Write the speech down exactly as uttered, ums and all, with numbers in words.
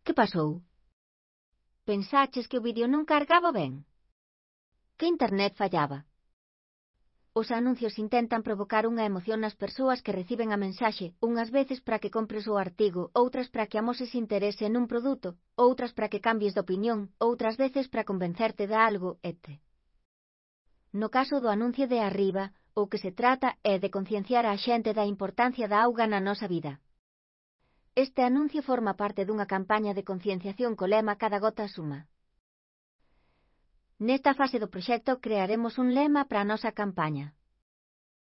Que pasou? Pensaches que o vídeo non cargaba ben? Que internet fallaba? Os anuncios intentan provocar unha emoción nas persoas que reciben a mensaxe, unhas veces para que compres o artigo, outras para que amoses interese nun produto, outras para que cambies de opinión, outras veces para convencerte de algo, etcétera. No caso do anuncio de arriba, o que se trata é de concienciar a xente da importancia da auga na nosa vida. Este anuncio forma parte dunha campaña de concienciación co lema Cada gota suma. Nesta fase do proxecto crearemos un lema para a nosa campaña.